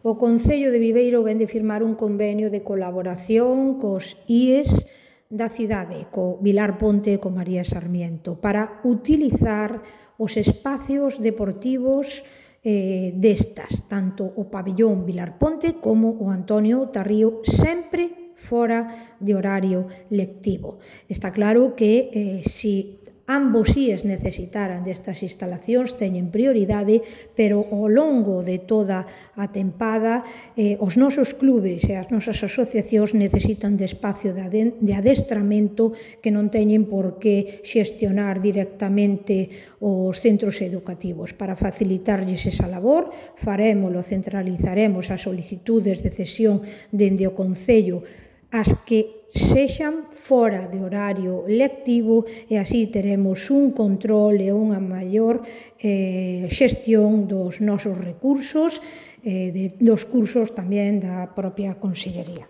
O Concello de Viveiro vén de firmar un convenio de colaboración cos IES da cidade, co Vilar Ponte e co María Sarmiento, para utilizar os espacios deportivos destas, tanto o pabellón Vilar Ponte como o Antonio Tarrío, sempre fora de horario lectivo. Está claro que se ambos IES necesitaran destas instalacións teñen prioridade, pero ao longo de toda a tempada os nosos clubes e as nosas asociacións necesitan de espacio de adestramento que non teñen por que xestionar directamente os centros educativos. Para facilitarlles esa labor, centralizaremos as solicitudes de cesión dende o Concello as que sexan fora de horario lectivo e así teremos un control e unha maior xestión dos nosos recursos, dos cursos tamén da propia Consellería.